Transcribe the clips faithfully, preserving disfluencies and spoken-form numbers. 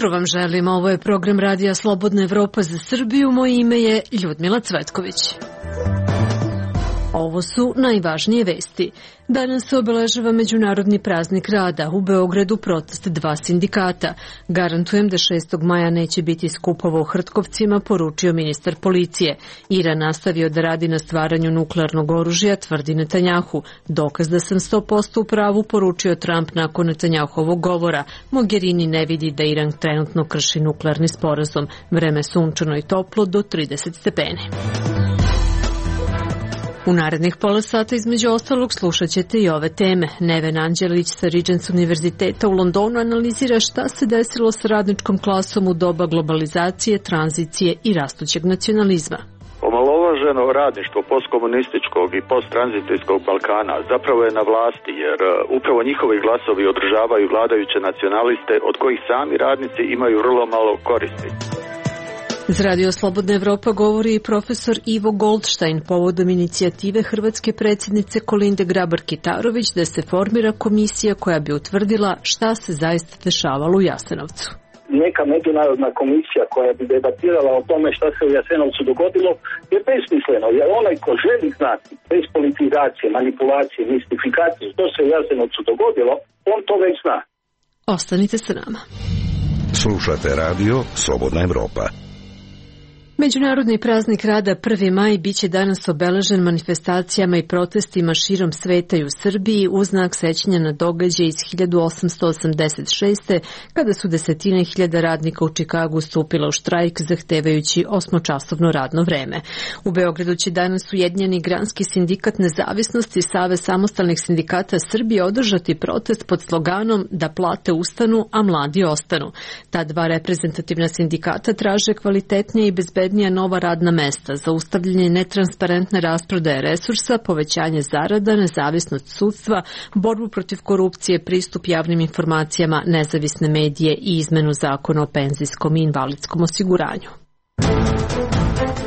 jutro vam želim. Ovo je program Radija Slobodna Evropa za Srbiju. Moje ime je Ljudmila Cvetković. Ovo su najvažnije vesti. Danas se obeležava Međunarodni praznik rada. U Beogradu protest dva sindikata. Garantujem da šestog maja neće biti skupova u Hrtkovcima, poručio ministar policije. Iran nastavio da radi na stvaranju nuklearnog oružja, tvrdi Netanjahu. Dokaz da sam sto posto u pravu, poručio Trump nakon Netanjahovog govora. Mogherini ne vidi da Iran trenutno krši nuklearni sporazum. Vreme sunčano i toplo do trideset stepeni. U narednih pola sata između ostalog slušat ćete i ove teme. Neven Anđelić sa Regents univerziteta u Londonu analizira šta se desilo sa radničkom klasom u doba globalizacije, tranzicije i rastućeg nacionalizma. Omalovaženo radništvo postkomunističkog i posttranzicijskog Balkana zapravo je na vlasti, jer upravo njihovi glasovi održavaju vladajuće nacionaliste od kojih sami radnici imaju vrlo malo koristi. Za Radio Slobodna Evropa govori i profesor Ivo Goldstein povodom inicijative hrvatske predsjednice Kolinde Grabar-Kitarović da se formira komisija koja bi utvrdila šta se zaista dešavalo u Jasenovcu. Neka međunarodna komisija koja bi debatirala o tome šta se u Jasenovcu dogodilo je besmisleno, jer onaj ko želi znati bez politizacije, manipulacije, mistifikacije što se u Jasenovcu dogodilo, on to već zna. Ostanite sa nama. Slušate Radio Slobodna Evropa. Međunarodni praznik rada prvi maj biće danas obeležen manifestacijama i protestima širom sveta i u Srbiji u znak sećanja na događaj iz hiljadu osamsto osamdeset šeste. kada su desetine hiljada radnika u Čikagu stupila u štrajk zahtevajući osmočasovno radno vreme. U Beogradu će danas Ujedinjeni granski sindikat Nezavisnosti i Savez samostalnih sindikata Srbije održati protest pod sloganom da plate ustanu, a mladi ostanu. Ta dva reprezentativna sindikata traže kvalitetnije i bezbednije nova radna mesta, zaustavljanje netransparentne rasprodaje resursa, povećanje zarada, nezavisnost sudstva, borbu protiv korupcije, pristup javnim informacijama, nezavisne medije i izmenu zakona o penzijskom i invalidskom osiguranju.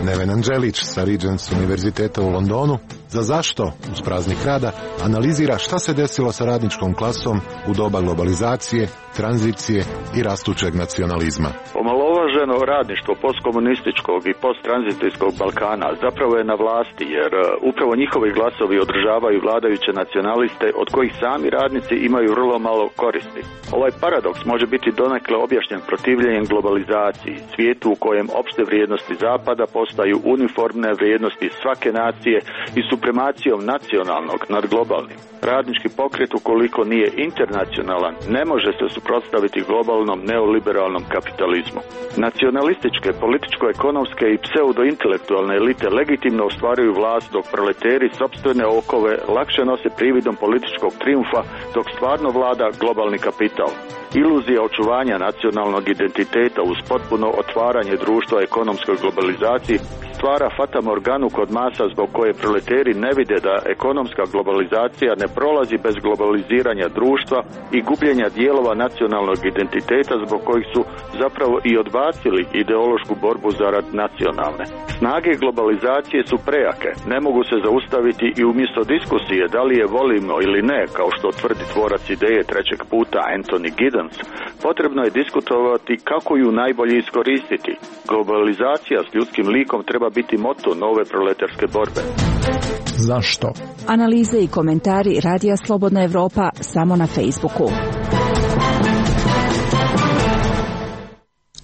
Neven Anđelić sa Regents univerziteta u Londonu za Zašto uz praznik rada analizira šta se desilo sa radničkom klasom u doba globalizacije, tranzicije i rastućeg nacionalizma. Omalovaženo radništvo postkomunističkog i posttranzicijskog Balkana zapravo je na vlasti, jer upravo njihovi glasovi održavaju vladajuće nacionaliste od kojih sami radnici imaju vrlo malo koristi. Ovaj paradoks može biti donekle objašnjen protivljenjem globalizaciji, svijetu u kojem opšte vrijednosti Zapada postaju uniformne vrijednosti svake nacije i supremacijom nacionalnog nad globalnim. Radnički pokret, ukoliko nije internacionalan, ne može se suprotstaviti globalnom neoliberalnom kapitalizmu. Nacionalističke, političko-ekonomske i pseudo-intelektualne elite legitimno ostvaruju vlast, dok proleteri sopstvene okove lakše nose prividom političkog trijumfa, dok stvarno vlada globalni kapital. Iluzija očuvanja nacionalnog identiteta uz potpuno otvaranje društva ekonomskoj globalizaciji stvara fatamorganu kod masa zbog koje proleteri ne vide da ekonomska globalizacija ne prolazi bez globaliziranja društva i gubljenja dijelova nacionalnog identiteta zbog kojih su zapravo i odbacili ideološku borbu zarad nacionalne. Snage globalizacije su prejake, ne mogu se zaustaviti i umjesto diskusije da li je volimo ili ne, kao što tvrdi tvorac ideje trećeg puta Anthony Giddens, potrebno je diskutovati kako ju najbolje iskoristiti. Globalizacija s ljudskim likom treba biti moto nove proletarske borbe. Zašto? Analize i komentari Radija Slobodna Evropa samo na Facebooku.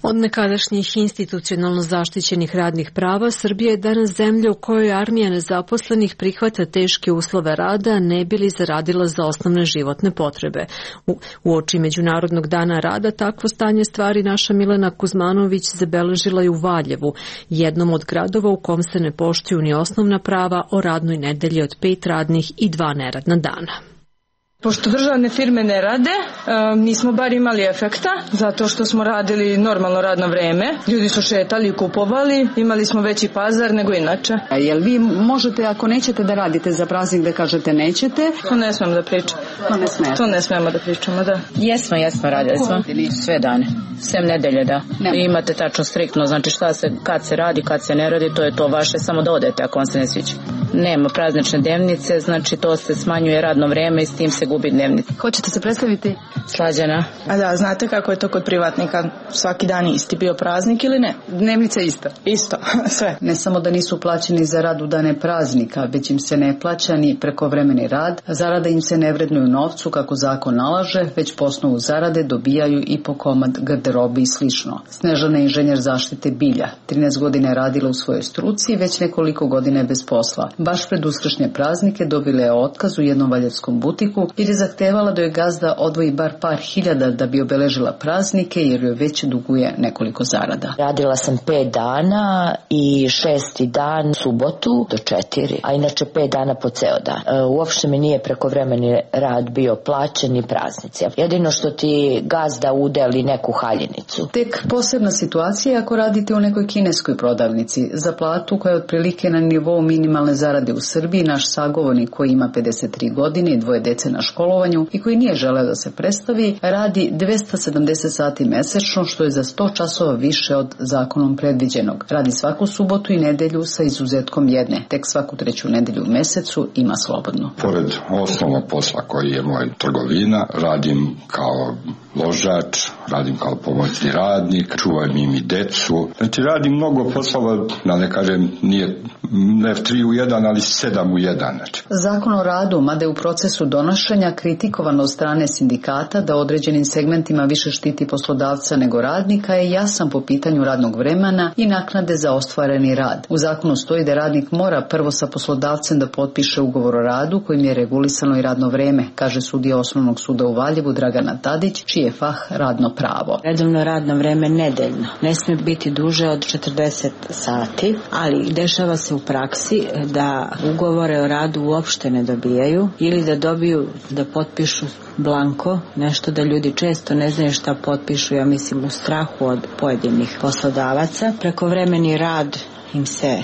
Od nekadašnjih institucionalno zaštićenih radnih prava, Srbija je danas zemlja u kojoj armija nezaposlenih prihvata teške uslove rada, ne bi li zaradila za osnovne životne potrebe. U, u oči Međunarodnog dana rada takvo stanje stvari naša Milena Kuzmanović zabeležila je u Valjevu, jednom od gradova u kom se ne poštuju ni osnovna prava o radnoj nedelji od pet radnih i dva neradna dana. Pošto državne firme ne rade, nismo bar imali efekta, zato što smo radili normalno radno vreme. Ljudi su šetali i kupovali, imali smo veći pazar nego inače. A jel vi možete, ako nećete da radite za praznik, da kažete nećete? To ne smemo da pričamo. To ne smemo. To ne smemo da pričamo, da. Jesmo, jesmo, radili smo. Sve dane. Sem nedelje, da. I imate tačno striktno, znači šta se, kad se radi, kad se ne radi, to je to vaše, samo da odete ako vam se ne sviđa. Nema praznične dnevnice, znači to se smanjuje radno vreme i s tim se gubi dnevnica. Hoćete se predstaviti? Slađana. A da, znate kako je to kod privatnika? Svaki dan isti bio praznik ili ne? Dnevnica ista? Isto, sve. Ne samo da nisu plaćeni za rad u dane praznika, već im se ne plaća ni prekovremeni rad, zarada im se ne vrednuju novcu kako zakon nalaže, već po osnovu zarade dobijaju i po komad garderobe i slično. Snežana je inženjer zaštite bilja. trinaest godina je radila u svojoj struci i već nekoliko godina je bez posla. Baš pred uskršnje praznike dobila je otkaz u jednom valjarskom butiku jer je zahtevala da joj gazda odvoji bar par hiljada da bi obeležila praznike jer joj već duguje nekoliko zarada. Radila sam pet dana i šesti dan subotu do četiri, a inače pet dana po ceo dan. E, uopšte mi nije prekovremeni rad bio plaćen ni praznici. Jedino što ti gazda udeli neku haljinicu. Tek posebna situacija ako radite u nekoj kineskoj prodavnici. Za platu koja je otprilike na nivou minimalne zarade u Srbiji, naš sagovornik koji ima pedeset tri godine i dvoje dece na školovanju i koji nije želeo da se predstavi, radi dvesta sedamdeset sati mesečno, što je za sto časova više od zakonom predviđenog. Radi svaku subotu i nedelju sa izuzetkom jedne. Tek svaku treću nedelju u mesecu ima slobodno. Pored osnovnog posla koji je moj trgovina, radim kao ložač, radim kao pomoćni radnik, čuvam im i decu. Znači radim mnogo poslova, da ne kažem, nije ne tri u jedan, ali sedam u jedan. Znači. Zakon o radu, mada je u procesu donošenja kritikovan od strane sindikata da određenim segmentima više štiti poslodavca nego radnika, je jasan po pitanju radnog vremena i naknade za ostvareni rad. U zakonu stoji da radnik mora prvo sa poslodavcem da potpiše ugovor o radu kojim je regulisano i radno vreme, kaže sudija Osnovnog suda u Valjevu Dragana Tadić, čiji je fah radno pravo. Redovno radno vreme nedeljno ne smije biti duže od četrdeset sati, ali dešava se u praksi da ugovore o radu uopšte ne dobijaju ili da dobiju da potpišu blanko, nešto da ljudi često ne znaju šta potpišu, ja mislim u strahu od pojedinih poslodavaca. Prekovremeni rad im se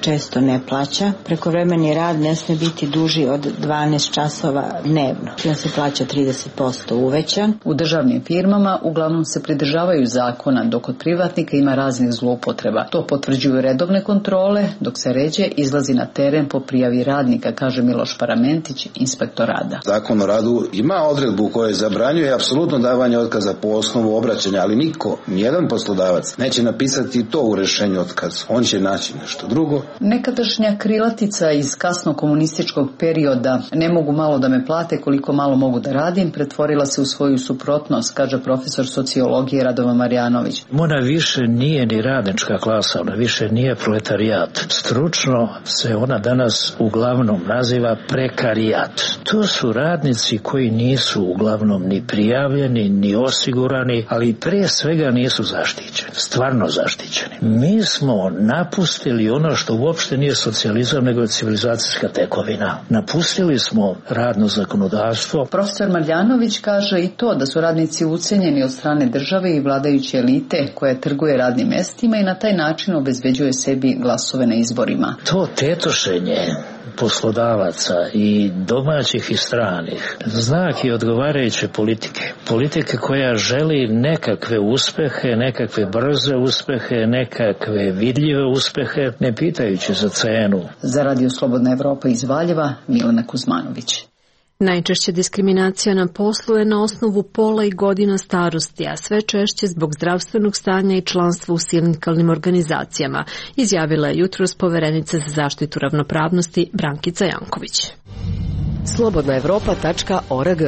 često ne plaća. Prekovremeni rad ne smije biti duži od dvanaest časova dnevno. On se plaća trideset posto uvećan. U državnim firmama uglavnom se pridržavaju zakona, dok kod privatnika ima raznih zloupotreba. To potvrđuju redovne kontrole, dok se ređe izlazi na teren po prijavi radnika, kaže Miloš Paramentić, inspektor rada. Zakon o radu ima odredbu koja zabranjuje apsolutno davanje otkaza po osnovu obraćanja, ali niko, nijedan poslodavac neće napisati to u rešenju otkaza. On će naći nešto drugo. Nekadašnja krilatica iz kasno komunističkog perioda "ne mogu malo da me plate koliko malo mogu da radim" pretvorila se u svoju suprotnost, kaže profesor sociologije Radovan Marjanović. Ona više nije ni radnička klasa, ona više nije proletarijat. Stručno se ona danas uglavnom naziva prekarijat. To su radnici koji nisu uglavnom ni prijavljeni, ni osigurani, ali pre svega nisu zaštićeni, stvarno zaštićeni. Mi smo napustili ono što uopšte nije socijalizam, nego je civilizacijska tekovina. Napustili smo radno zakonodavstvo. Profesor Marjanović kaže i to da su radnici ucenjeni od strane države i vladajuće elite koja trguje radnim mestima i na taj način obezbeđuje sebi glasove na izborima. To tetošenje poslodavaca i domaćih i stranih znak je odgovarajuće politike. Politike koja želi nekakve uspehe, nekakve brze uspehe, nekakve vidljive uspehe, ne pitajući za cenu. Za Radio Slobodna Evropa iz Valjeva, Milena Kuzmanović. Najčešća diskriminacija na poslu je na osnovu pola i godina starosti, a sve češće zbog zdravstvenog stanja i članstva u sindikalnim organizacijama, izjavila je jutros poverenica za zaštitu ravnopravnosti Brankica Janković. slobodna evropa tačka org.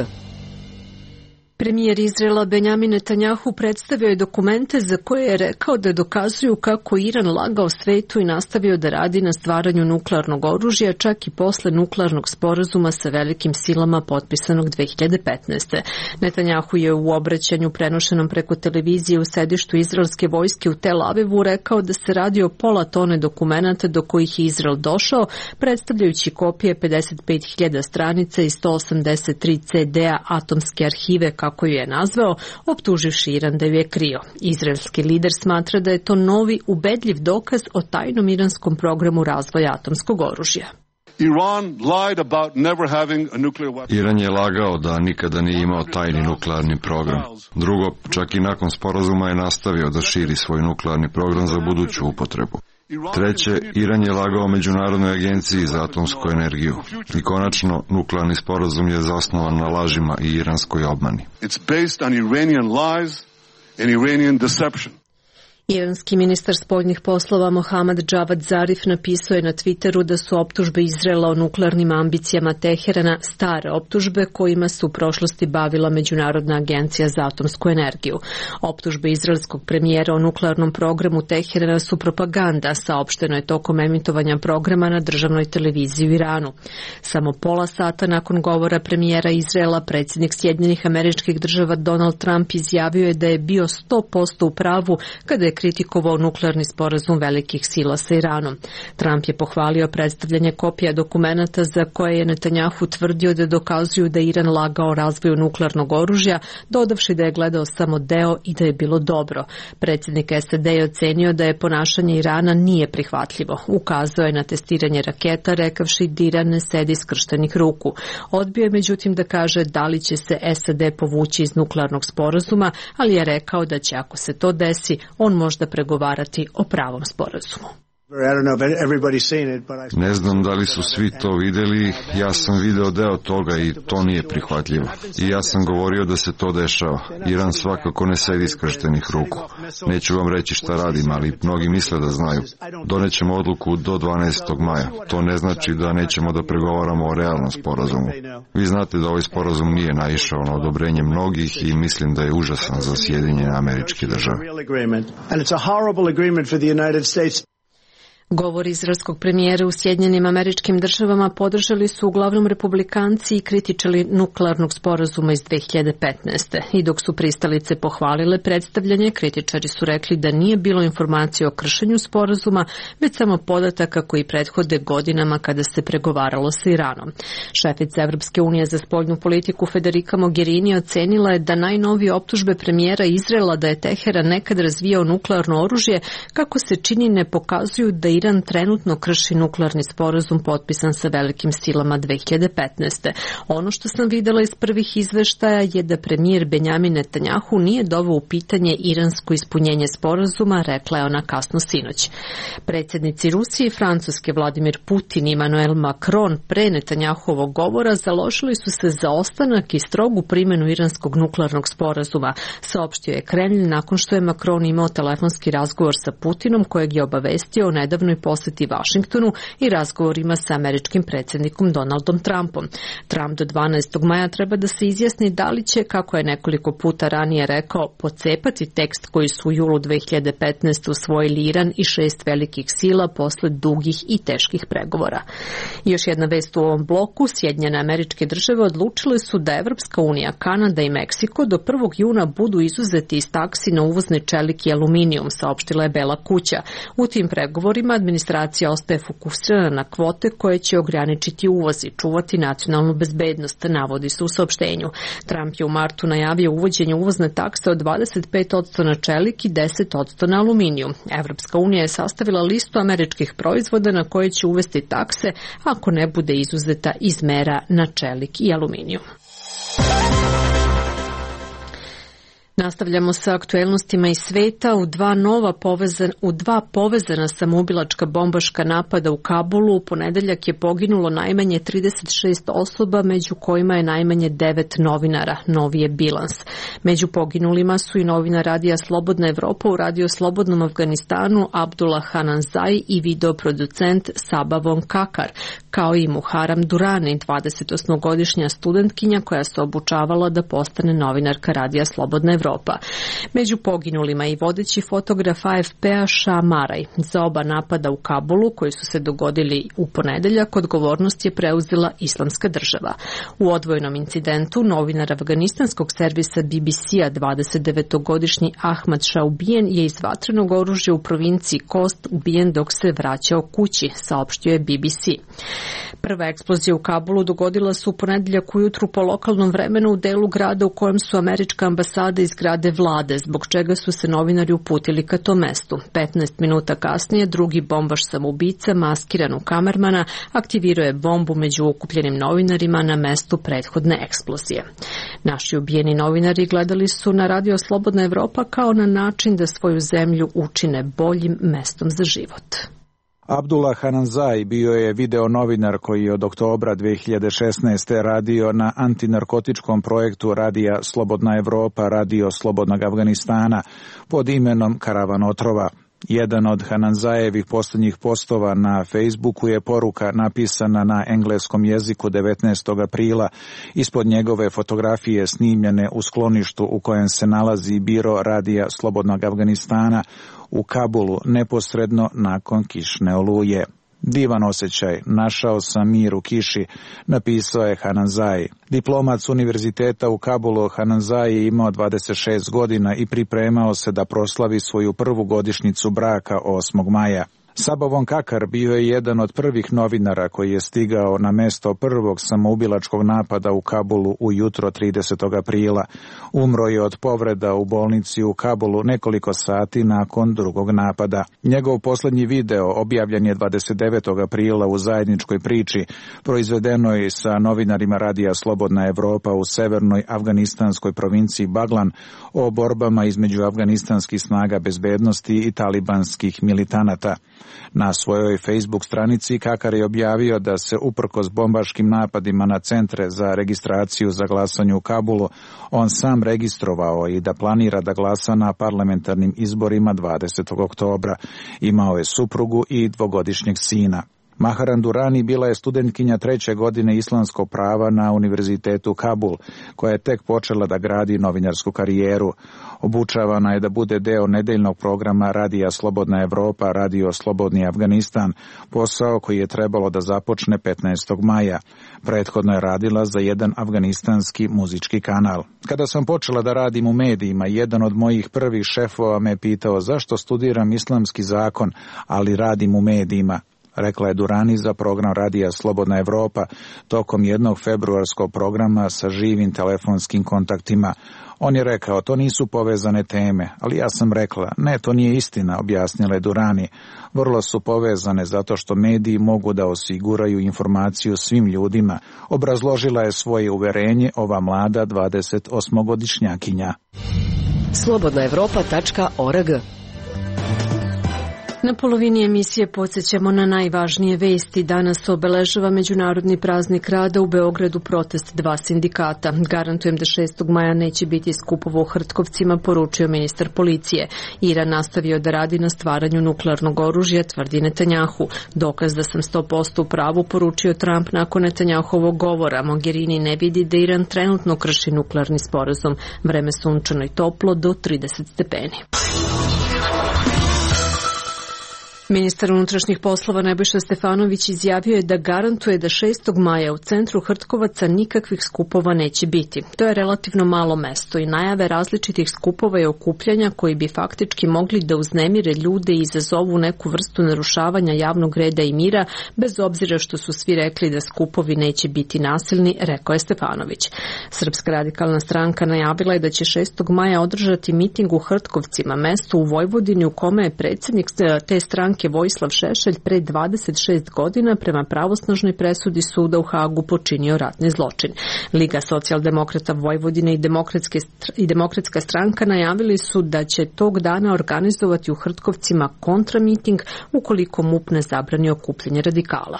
Premijer Izraela Benjamin Netanjahu predstavio je dokumente za koje je rekao da dokazuju kako Iran lagao svetu i nastavio da radi na stvaranju nuklearnog oružja, čak i posle nuklearnog sporazuma sa velikim silama potpisanog dve hiljade petnaeste. Netanjahu je u obraćanju prenošenom preko televizije u sedištu izraelske vojske u Tel Avivu rekao da se radi o pola tone dokumenata do kojih je Izrael došao, predstavljajući kopije pedeset pet hiljada stranica i sto osamdeset tri ce de-a atomske arhive, kako ju je nazvao, optuživši Iran da ju je krio. Izraelski lider smatra da je to novi, ubedljiv dokaz o tajnom iranskom programu razvoja atomskog oružja. Iran je lagao da nikada nije imao tajni nuklearni program. Drugo, čak i nakon sporazuma je nastavio da širi svoj nuklearni program za buduću upotrebu. Treće, Iran je lagao Međunarodnoj agenciji za atomsku energiju. I konačno, nuklearni sporazum je zasnovan na lažima i iranskoj obmani. It's based on Iranian lies and Iranian deception. Iranski ministar spoljnih poslova Mohammad Javad Zarif napisao je na Twitteru da su optužbe Izraela o nuklearnim ambicijama Teherana stare optužbe kojima se u prošlosti bavila Međunarodna agencija za atomsku energiju. Optužbe izraelskog premijera o nuklearnom programu Teherana su propaganda, saopšteno je tokom emitovanja programa na državnoj televiziji u Iranu. Samo pola sata nakon govora premijera Izraela, predsjednik Sjedinjenih Američkih Država Donald Trump izjavio je da je bio sto posto u pravu kada je kritikovao nuklearni sporazum velikih sila sa Iranom. Trump je pohvalio predstavljanje kopija dokumenata za koje je Netanjahu tvrdio da dokazuju da Iran lagao o razvoju nuklearnog oružja, dodavši da je gledao samo deo i da je bilo dobro. Predsjednik S A D je ocenio da je ponašanje Irana nije prihvatljivo. Ukazao je na testiranje raketa, rekavši da Iran ne sedi skrštenih ruku. Odbio je međutim da kaže da li će se S A D povući iz nuklearnog sporazuma, ali je rekao da će, ako se to desi, on možda pregovarati o pravom sporazumu. Ne znam da li su svi to videli, ja sam video deo toga i to nije prihvatljivo. I ja sam govorio da se to dešava. Iran svakako ne sedi skrštenih ruku. Neću vam reći šta radim, ali mnogi misle da znaju. Donećemo odluku do dvanaestog maja. To ne znači da nećemo da pregovaramo o realnom sporazumu. Vi znate da ovaj sporazum nije naišao na odobrenje mnogih i mislim da je užasan za Sjedinjene Američke Države. Govor izraelskog premijera u Sjedinjenim Američkim Državama podržali su uglavnom republikanci i kritičari nuklearnog sporazuma iz dve hiljade petnaeste. I dok su pristalice pohvalile predstavljanje, kritičari su rekli da nije bilo informacije o kršenju sporazuma, već samo podataka koji prethode godinama kada se pregovaralo sa Iranom. Šefica Evropske unije za spoljnu politiku Federica Mogherini ocenila je da najnovije optužbe premijera Izraela da je Teheran nekad razvijao nuklearno oružje, kako se čini, ne pokazuju da Iran trenutno krši nuklearni sporazum potpisan sa velikim silama dve hiljade petnaeste. Ono što sam videla iz prvih izveštaja je da premijer Benjamin Netanjahu nije doveo u pitanje iransko ispunjenje sporazuma, rekla je ona kasno sinoć. Predsjednici Rusije i Francuske Vladimir Putin i Emmanuel Macron pre Netanjahovog govora založili su se za ostanak i strogu primjenu iranskog nuklearnog sporazuma, saopštio je Kremlj nakon što je Macron imao telefonski razgovor sa Putinom, kojeg je obavestio o nedavnoj posjeti Vašingtonu i razgovorima sa američkim predsjednikom Donaldom Trumpom. Trump do dvanaestog maja treba da se izjasni da li će, kako je nekoliko puta ranije rekao, pocepati tekst koji su u julu dve hiljade petnaeste usvojili Iran i šest velikih sila posle dugih i teških pregovora. I još jedna vest u ovom bloku, Sjedinjene Američke Države odlučile su da Evropska unija, Kanada i Meksiko do prvog juna budu izuzeti iz taksi na uvozni čelik i aluminijum, saopštila je Bela kuća. U tim pregovorima administracija ostaje fokusirana na kvote koje će ograničiti uvoz i čuvati nacionalnu bezbednost, navodi se u saopštenju. Trump je u martu najavio uvođenje uvozne takse od dvadeset pet posto na čelik i deset posto na aluminijum. Evropska unija je sastavila listu američkih proizvoda na koje će uvesti takse ako ne bude izuzeta iz mera na čelik i aluminijum. Nastavljamo sa aktuelnostima iz sveta. U dva nova povezan, u dva povezana samoubilačka bombaška napada u Kabulu u ponedeljak je poginulo najmanje trideset šest osoba, među kojima je najmanje devet novinara. Novi je bilans. Među poginulima su i novinar radija Slobodna Evropa u Radio Slobodnom Afganistanu Abdullah Hananzai i videoproducent Sabavon Kakar, kao i Muharam Durani, dvadesetosmogodišnja studentkinja koja se obučavala da postane novinarka Radija Slobodna Evropa. Među poginulima i vodeći fotograf A F P-a Shah Maraj. Za oba napada u Kabulu, koji su se dogodili u ponedeljak, odgovornost je preuzela Islamska država. U odvojenom incidentu novinar afganistanskog servisa B B C-a dvadesetdevetogodišnji Ahmad Shah ubijen je iz vatrenog oružja u provinciji Kost ubijen dok se vraćao kući, saopštio je B B C. Prva eksplozija u Kabulu dogodila se u ponedeljak ujutru po lokalnom vremenu u delu grada u kojem su američka ambasada iz zgrade vlade, zbog čega su se novinari uputili ka tom mestu. petnaest minuta kasnije drugi bombaš samoubica, maskiran u kamermana, aktivirao je bombu među okupljenim novinarima na mestu prethodne eksplozije. Naši ubijeni novinari gledali su na Radio Slobodna Evropa kao na način da svoju zemlju učine boljim mestom za život. Abdullah Hananzaj bio je video novinar koji je od oktobra dve hiljade šesnaeste. radio na antinarkotičkom projektu Radija Slobodna Evropa, Radio Slobodnog Afganistana pod imenom Karavan otrova. Jedan od Hananzajevih posljednjih postova na Facebooku je poruka napisana na engleskom jeziku devetnaestog aprila ispod njegove fotografije snimljene u skloništu u kojem se nalazi biro Radija Slobodnog Afganistana u Kabulu neposredno nakon kišne oluje. Divan osjećaj, našao sam mir u kiši, napisao je Hananzaj. Diplomat s univerziteta u Kabulu, Hananzaj je imao dvadeset šest godina i pripremao se da proslavi svoju prvu godišnjicu braka osmog maja. Sabo von Kakar bio je jedan od prvih novinara koji je stigao na mesto prvog samoubilačkog napada u Kabulu ujutro tridesetog aprila. Umro je od povreda u bolnici u Kabulu nekoliko sati nakon drugog napada. Njegov posljednji video objavljen je dvadeset devetog aprila u zajedničkoj priči, proizvedenoj sa novinarima Radija Slobodna Evropa u severnoj afganistanskoj provinciji Baglan o borbama između afganistanskih snaga bezbednosti i talibanskih militanata. Na svojoj Facebook stranici Kakar je objavio da se uprkos bombaškim napadima na centre za registraciju za glasanje u Kabulu, on sam registrovao i da planira da glasa na parlamentarnim izborima dvadesetog oktobra. Imao je suprugu i dvogodišnjeg sina. Maharan Durani bila je studentkinja treće godine islamskog prava na Univerzitetu Kabul, koja je tek počela da gradi novinarsku karijeru. Obučavana je da bude deo nedeljnog programa Radija Slobodna Evropa, Radio Slobodni Afganistan, posao koji je trebalo da započne petnaestog maja. Prethodno je radila za jedan afganistanski muzički kanal. Kada sam počela da radim u medijima, jedan od mojih prvih šefova me pitao zašto studiram islamski zakon, ali radim u medijima, rekla je Durani za program Radija Slobodna Evropa tokom jednog februarskog programa sa živim telefonskim kontaktima. On je rekao, to nisu povezane teme, ali ja sam rekla, ne, to nije istina, objasnila je Durani. Vrlo su povezane zato što mediji mogu da osiguraju informaciju svim ljudima, obrazložila je svoje uverenje ova mlada dvadesetosmogodišnjakinja. slobodna evropa tačka org. Na polovini emisije podsjećamo na najvažnije vesti. Danas obeležava Međunarodni praznik rada u Beogradu protest dva sindikata. Garantujem da šestog maja neće biti skupova u Hrtkovcima, poručio ministar policije. Iran nastavio da radi na stvaranju nuklearnog oružja, tvrdi Netanjahu. Dokaz da sam sto posto u pravu, poručio Trump nakon Netanjahovog govora. Mogherini ne vidi da Iran trenutno krši nuklearni sporazum. Vreme sunčano i toplo do trideset stepeni. Ministar unutrašnjih poslova Nebojša Stefanović izjavio je da garantuje da šestog maja u centru Hrtkovaca nikakvih skupova neće biti. To je relativno malo mesto i najave različitih skupova i okupljanja koji bi faktički mogli da uznemire ljude i izazovu neku vrstu narušavanja javnog reda i mira, bez obzira što su svi rekli da skupovi neće biti nasilni, rekao je Stefanović. Srpska radikalna stranka najavila je da će šestog maja održati miting u Hrtkovcima, mesto u Vojvodini u kome je predsjednik te stranke Vojislav Šešelj pre dvadeset šest godina prema pravosnažnoj presudi suda u Hagu počinio ratni zločin. Liga socijaldemokrata Vojvodine i, i Demokratska stranka najavili su da će tog dana organizovati u Hrtkovcima kontramiting ukoliko MUP ne zabrani okupljanje radikala.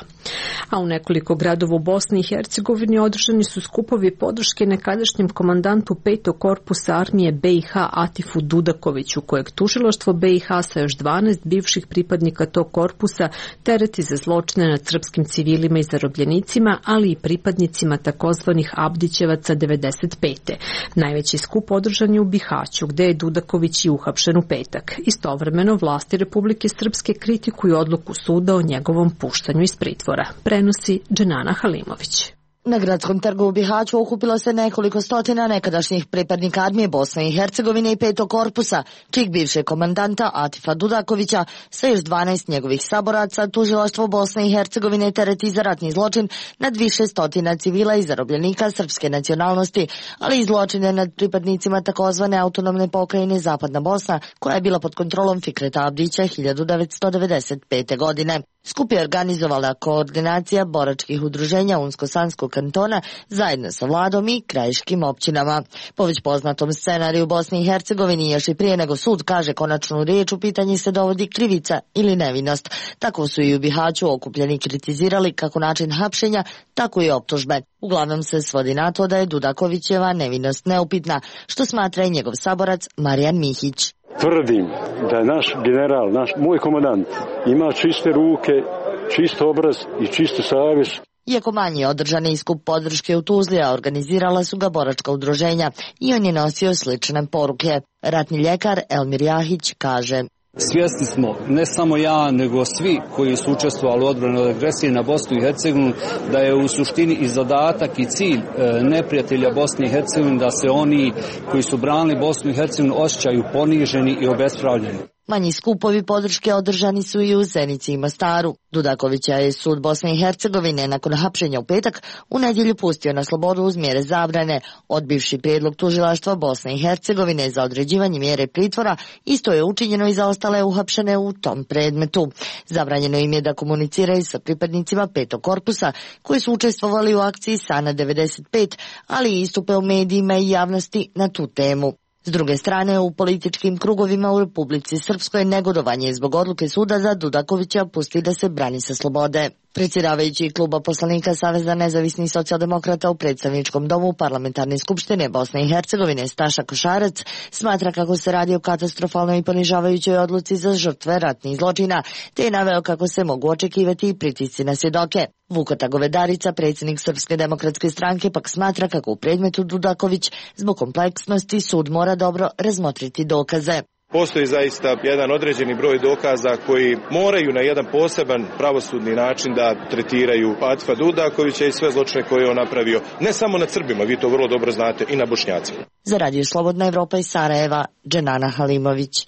A u nekoliko gradova u Bosni i Hercegovini održani su skupovi podrške nekadašnjem komandantu petog korpusa armije B i H Atifu Dudakoviću, kojeg tužilaštvo B i H sa još dvanaest bivših pripadnika tog korpusa tereti za zločine nad srpskim civilima i zarobljenicima, ali i pripadnicima takozvanih Abdićevaca devedeset pete. Najveći skup održan je u Bihaću, gde je Dudaković i uhapšen u petak. Istovremeno vlasti Republike Srpske kritikuju odluku suda o njegovom puštanju iz pritvora. Prenosi Dženana Halimović. Na gradskom trgu u Bihaću okupilo se nekoliko stotina nekadašnjih pripadnika armije Bosne i Hercegovine i petog korpusa, čijeg bivšeg komandanta Atifa Dudakovića sa još dvanaest njegovih saboraca tužilaštvo Bosne i Hercegovine tereti za ratni zločin nad više stotina civila i zarobljenika srpske nacionalnosti, ali i zločine nad pripadnicima takozvane autonomne pokrajine Zapadna Bosna, koja je bila pod kontrolom Fikreta Abdića hiljadu devetsto devedeset pete. godine. Skup je organizovala koordinacija boračkih udruženja Unsko-Sanskog kantona zajedno sa vladom i krajiškim općinama. Po već poznatom scenariju u Bosni i Hercegovini još i prije nego sud kaže konačnu riječ u pitanji se dovodi krivica ili nevinost. Tako su i u Bihaću okupljeni kritizirali kako način hapšenja, tako i optužbe. Uglavnom se svodi na to da je Dudakovićeva nevinost neupitna, što smatra i njegov saborac Marijan Mihić. Tvrdim da je naš general, naš moj komandant, ima čiste ruke, čist obraz i čistu savjest. Iako manji održani skup podrške u Tuzli, a organizirala su ga boračka udruženja i on je nosio slične poruke. Ratni ljekar Elmir Jahić kaže: Svjesni smo, ne samo ja, nego svi koji su učestvovali u odbrani od agresije na Bosnu i Hercegovinu, da je u suštini i zadatak i cilj neprijatelja Bosne i Hercegovine da se oni koji su branili Bosnu i Hercegovinu osjećaju poniženi i obespravljeni. Manji skupovi podrške održani su i u Zenici i Mostaru. Dudakovića je sud Bosne i Hercegovine nakon hapšenja u petak u nedjelju pustio na slobodu uz mjere zabrane. Odbivši prijedlog tužilaštva Bosne i Hercegovine za određivanje mjere pritvora, isto je učinjeno i za ostale uhapšene u tom predmetu. Zabranjeno im je da komuniciraju sa pripadnicima petog korpusa koji su učestvovali u akciji Sana devedeset pet, ali i istupe u medijima i javnosti na tu temu. S druge strane, u političkim krugovima u Republici Srpskoj negodovanje zbog odluke suda za Dudakovića pusti da se brani sa slobode. Predsjedavajući kluba poslanika Saveza nezavisnih socijaldemokrata u predstavničkom domu Parlamentarne skupštine Bosne i Hercegovine Staša Košarac smatra kako se radi o katastrofalnoj i ponižavajućoj odluci za žrtve ratnih zločina, te je naveo kako se mogu očekivati i pritisci na svjedoke. Vukota Govedarica, predsjednik Srpske demokratske stranke, pak smatra kako u predmetu Dudaković zbog kompleksnosti sud mora dobro razmotriti dokaze. Postoji zaista jedan određeni broj dokaza koji moraju na jedan poseban pravosudni način da tretiraju Atifa Dudakovića i sve zločine koje je on napravio, ne samo nad Srbima, vi to vrlo dobro znate, i na Bošnjacima. Za Radio Slobodna Evropa iz Sarajeva, Dženana Halimović.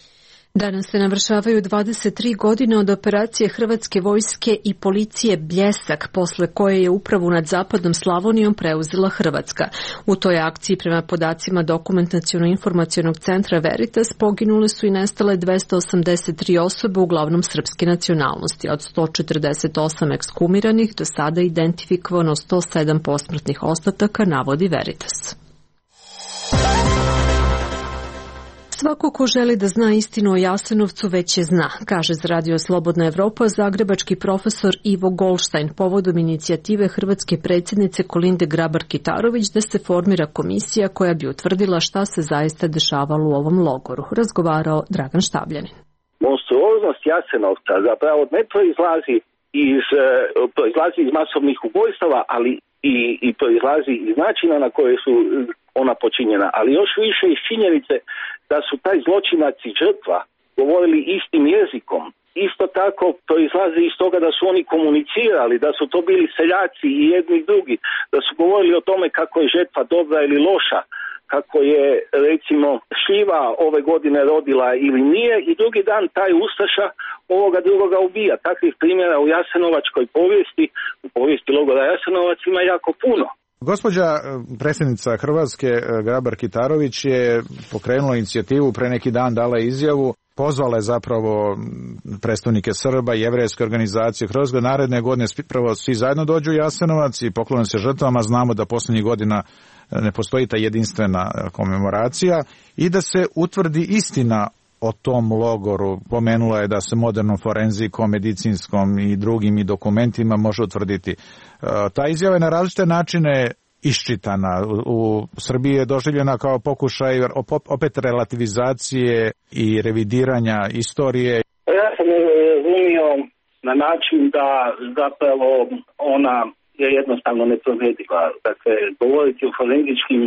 Danas se navršavaju dvadeset tri godine od operacije Hrvatske vojske i policije Bljesak, posle koje je upravu nad zapadnom Slavonijom preuzela Hrvatska. U toj akciji, prema podacima Dokumentaciono-informacionog centra Veritas, poginule su i nestale dvesta osamdeset tri osobe, uglavnom srpske nacionalnosti. Od sto četrdeset osam ekshumiranih do sada identifikovano sto sedam posmrtnih ostataka, navodi Veritas. Svako ko želi da zna istinu o Jasenovcu već je zna, kaže za Radio Slobodna Evropa zagrebački profesor Ivo Goldstein povodom inicijative hrvatske predsjednice Kolinde Grabar-Kitarović da se formira komisija koja bi utvrdila šta se zaista dešavalo u ovom logoru. Razgovarao Dragan Štabljanin. Monstruoznost Jasenovca zapravo ne proizlazi iz, proizlazi iz masovnih ubojstava, ali i, i proizlazi iz načina na koje su ona počinjena, ali još više iz činjenice da su taj zločinac i žrtva govorili istim jezikom. Isto tako proizlazi iz toga da su oni komunicirali, da su to bili seljaci i jedni i drugi, da su govorili o tome kako je žrtva dobra ili loša, kako je recimo šljiva ove godine rodila ili nije, i drugi dan taj ustaša ovoga drugoga ubija. Takvih primjera u jasenovačkoj povijesti, u povijesti logora Jasenovac ima jako puno. Gospođa predsjednica Hrvatske Grabar-Kitarović je pokrenula inicijativu, pre neki dan dala izjavu, pozvala je zapravo predstavnike Srba i jevrejske organizacije Hrvatske, naredne godine prvo svi zajedno dođu u Jasenovac i poklone se žrtvama. Znamo da posljednjih godina ne postoji ta jedinstvena komemoracija i da se utvrdi istina o tom logoru. Pomenula je da se modernom forenzikom, medicinskom i drugim i dokumentima može utvrditi. Ta izjava je na različite načine iščitana. U Srbiji je doživljena kao pokušaj opet relativizacije i revidiranja istorije. Ja sam je razumio na način da zapravo ona je jednostavno neprovediva. Dakle, govoriti o forenzičkim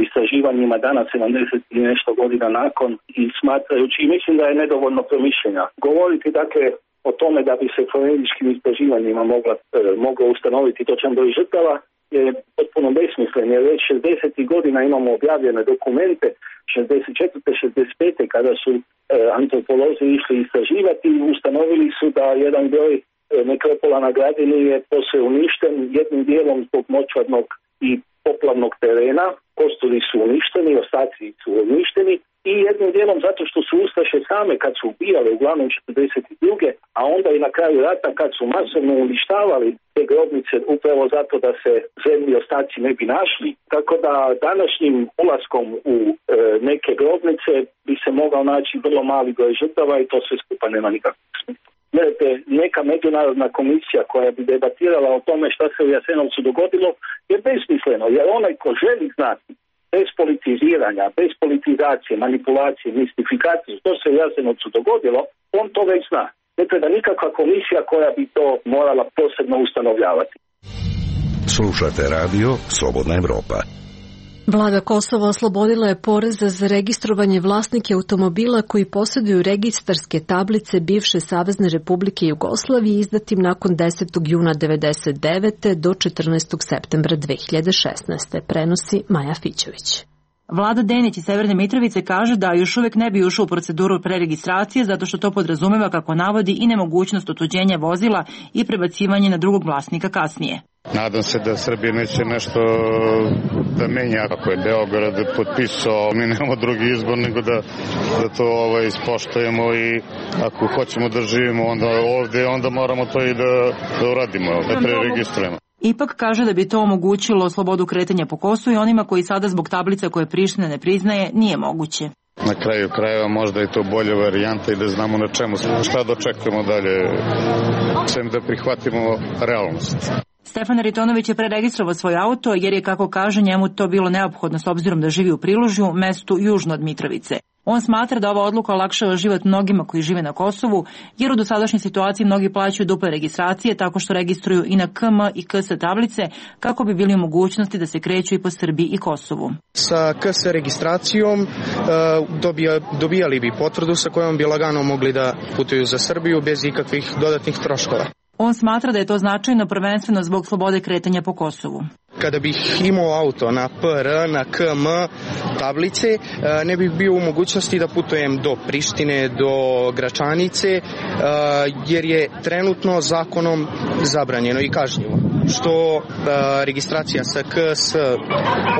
istraživanjima danas sedamdeset i nešto godina nakon i smatrajući, i mislim da je nedovoljno promišljenja. Govoriti dakle o tome da bi se forenzičkim istraživanjima mogla, e, moglo ustanoviti točan broj žrtava je potpuno besmislen, jer već šezdesetih godina imamo objavljene dokumente, šezdeset četvrte šezdeset pete kada su e, antropolozi išli istraživati i ustanovili su da jedan broj e, nekropola na Gradini je posve uništen, jednim dijelom zbog močvarnog i poplavnog terena, kosturi su uništeni, ostaci su uništeni, i jednim dijelom zato što su ustaše same kad su ubijale uglavnom četrdeset druge a onda i na kraju rata kad su masovno uništavali te grobnice upravo zato da se zemlji ostaci ne bi našli. Tako da današnjim ulaskom u e, neke grobnice bi se mogao naći vrlo mali broj žrtava i to sve skupa nema nikakvog smisla. Gledajte, neka međunarodna komisija koja bi debatirala o tome šta se u Jasenovcu dogodilo je besmisleno, jer onaj ko želi znati bez politiziranja, bez politizacije, manipulacije, mistifikacije što se u Jasenovcu dogodilo, on to već zna. Ne treba nikakva komisija koja bi to morala posebno ustanovljavati. Slušate radio Slobodna Evropa. Vlada Kosova oslobodila je poreza za registrovanje vlasnike automobila koji posjeduju registarske tablice bivše Savezne Republike Jugoslavije izdatim nakon desetog juna devedeset devete do četrnaestog septembra dve hiljade šesnaeste. Prenosi Maja Fićević. Vlada Denić iz Severne Mitrovice kaže da još uvek ne bi ušao u proceduru preregistracije zato što to podrazumeva, kako navodi, i nemogućnost otuđenja vozila i prebacivanje na drugog vlasnika kasnije. Nadam se da Srbija neće nešto da menja. Ako je Beograd potpisao, mi nemamo drugi izbor nego da, da to ovaj, ispoštujemo i ako hoćemo da živimo onda ovde, onda moramo to i da, da uradimo, da preregistrujemo. Ipak kaže da bi to omogućilo slobodu kretanja po Kosovu i onima koji sada zbog tablica koje Priština ne priznaje nije moguće. Na kraju krajeva možda je to bolja varijanta i da znamo na čemu, šta dočekujemo dalje, sem da prihvatimo realnost. Stefan Aritonović je preregistrovao svoj auto jer je, kako kaže, njemu to bilo neophodno s obzirom da živi u Prilužju, mestu južno od Mitrovice. On smatra da ova odluka olakšava život mnogima koji žive na Kosovu, jer u dosadašnjoj situaciji mnogi plaćaju duple registracije tako što registruju i na K M i K S tablice kako bi bili u mogućnosti da se kreću i po Srbiji i Kosovu. Sa K S registracijom dobija, dobijali bi potvrdu sa kojom bi lagano mogli da putuju za Srbiju bez ikakvih dodatnih troškova. On smatra da je to značajno prvenstveno zbog slobode kretanja po Kosovu. Kada bih imao auto na P R, na K M tablice, ne bih bio u mogućnosti da putujem do Prištine, do Gračanice, jer je trenutno zakonom zabranjeno i kažnjivo, što registracija sa K S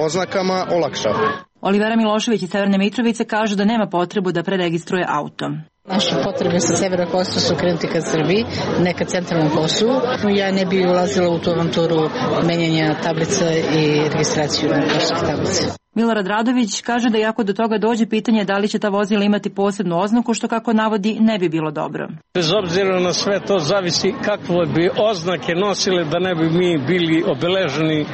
oznakama olakšava. Olivera Milošević iz Severne Mitrovice kaže da nema potrebu da preregistruje auto. Naše potrebe sa severa Kosova su krenuti ka Srbiji, ne ka centralnom Kosovu. Ja ne bi ulazila u tu avanturu menjanja tablica i registraciju na kosovske tablice. Milorad Radović kaže da iako do toga dođe, pitanje da li će ta vozila imati posebnu oznaku, što, kako navodi, ne bi bilo dobro. Bez obzira na sve to zavisi kakve bi oznake nosile da ne bi mi bili obeleženi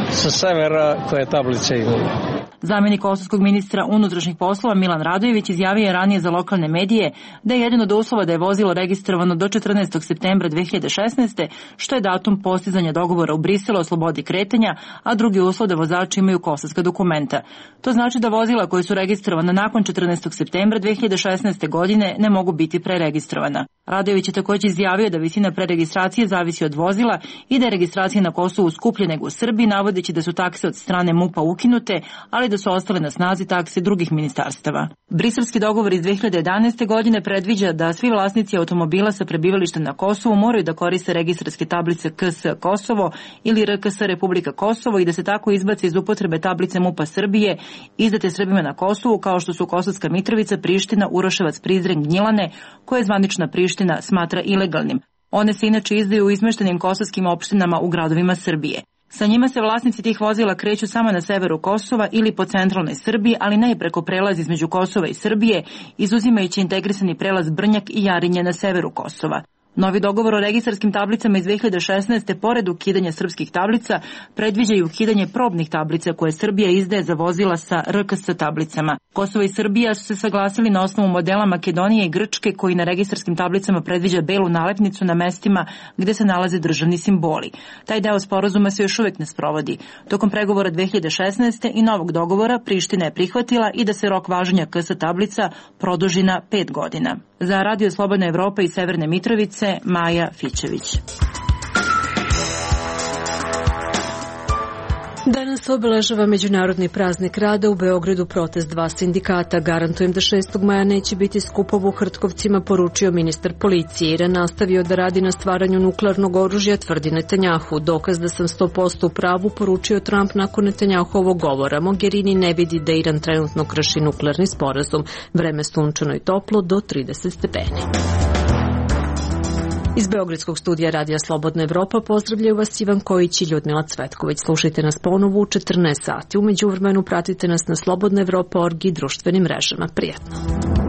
sa severa koje tablice imamo. Zamjenik kosovskog ministra unutrašnjih poslova Milan Radojević izjavio je ranije za lokalne medije da je jedan od uslova da je vozilo registrovano do četrnaestog septembra dve hiljade šesnaeste, što je datum postizanja dogovora u Briselu o slobodi kretanja, a drugi uslov da vozači imaju kosovska dokumenta. To znači da vozila koje su registrovana nakon četrnaestog septembra dve hiljade šesnaeste. godine ne mogu biti preregistrovana. Radojević je također izjavio da visina preregistracije zavisi od vozila i da je registracija na Kosovu skuplja nego u Srbiji, navodeći da su takse od strane M U P-a ukinute, ali da su ostale na snazi takse drugih ministarstava. Briselski dogovor iz dve hiljade jedanaeste. godine predviđa da svi vlasnici automobila sa prebivalištem na Kosovu moraju da koriste registarske tablice K S Kosovo ili R K S Republika Kosovo i da se tako izbace iz upotrebe tablice M U P-a Srbije izdate Srbima na Kosovu, kao što su Kosovska Mitrovica, Priština, Uroševac, Prizren, Gnjilane, koje zvanična Priština smatra ilegalnim. One se inače izdaju u izmeštenim kosovskim opštinama u gradovima Srbije. Sa njima se vlasnici tih vozila kreću samo na severu Kosova ili po centralnoj Srbiji, ali ne i preko prelaza između Kosova i Srbije, izuzimajući integrisani prelaz Brnjak i Jarinje na severu Kosova. Novi dogovor o registarskim tablicama iz dve hiljade šesnaeste. pored ukidanja srpskih tablica predviđa i ukidanje probnih tablica koje Srbija izdaje za vozila sa R K S tablicama. Kosovo i Srbija su se saglasili na osnovu modela Makedonije i Grčke, koji na registarskim tablicama predviđa belu nalepnicu na mestima gde se nalaze državni simboli. Taj deo sporazuma se još uvek ne sprovodi. Tokom pregovora dve hiljade šesnaeste. i novog dogovora Priština je prihvatila i da se rok važenja K S tablica produži na pet godina. Za Radio Slobodna Evropa iz Severne Mitrovice, Maja Fićević. Danas obeležava Međunarodni praznik rada. U Beogradu protest dva sindikata. Garantujem da šestog maja neće biti skupova u Hrtkovcima, poručio ministar policije. Iran nastavio da radi na stvaranju nuklearnog oružja, tvrdi Netanjahu. Dokaz da sam sto posto u pravu, poručio Trump nakon Netanjahovog govora. Mogherini ne vidi da Iran trenutno krši nuklearni sporazum. Vreme sunčano i toplo do trideset stepeni. Iz Beogradskog studija Radija Slobodna Evropa pozdravljaju vas Ivan Kojić i Ljudmila Cvetković. Slušajte nas ponovo u četrnaest sati. U međuvremenu pratite nas na slobodna evropa tačka org i društvenim mrežama. Prijatno.